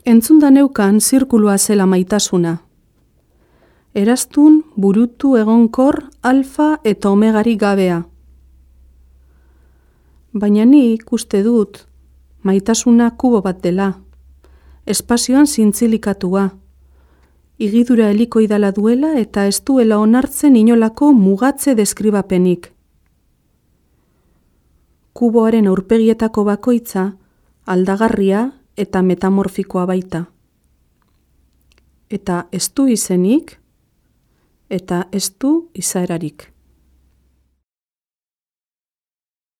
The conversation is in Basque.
Entzunda neukan zirkulua zela maitasuna. Eraztun, burutu, egonkor, alfa eta omegari gabea. Baina nik uste dut, maitasuna kubo bat dela, espazioan zintzilikatuak, igidura helikoidala duela eta ez duela onartzen inolako mugatze deskribapenik. Kuboaren aurpegietako bakoitza aldagarria eta metamorfikoa baita. Eta ez du izenik, eta ez du izaerarik.